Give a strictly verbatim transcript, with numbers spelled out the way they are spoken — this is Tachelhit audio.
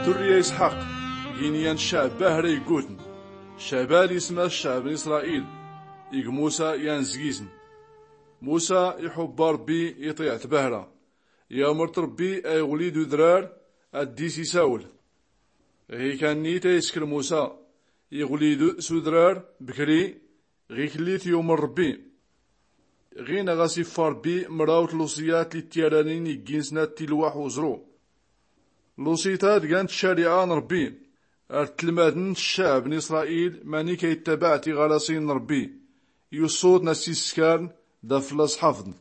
Durriya isḥaq, gin yan ccɛb bahra iggutn, ccɛb ad isma ccɛb n isṛail. Ig musa yan zgizn. Musa iḥubba ṛbbi, iṭiɛ-t bahra. Yamr-t ṛbbi a iɣlid udrar ad-dis isawel. Ɣikanni ta iskr musa, iɣlid s udrar bkri. Ɣiklli t-yumr ṛbbi. Ɣin a ɣas iffa ṛbbi mraw tluṣiyat li t-yaranin iggin snat tilwaḥ uẓru. Luṣiyt-a d gant ccariɛa n ṛbbi, ar tlmadn ccɛb n isṛail manik a ittabaɛ tiɣaraṣin n ṛbbi, yuṣṣu-tn a ssiskarn d aflla ṣḥafḍn.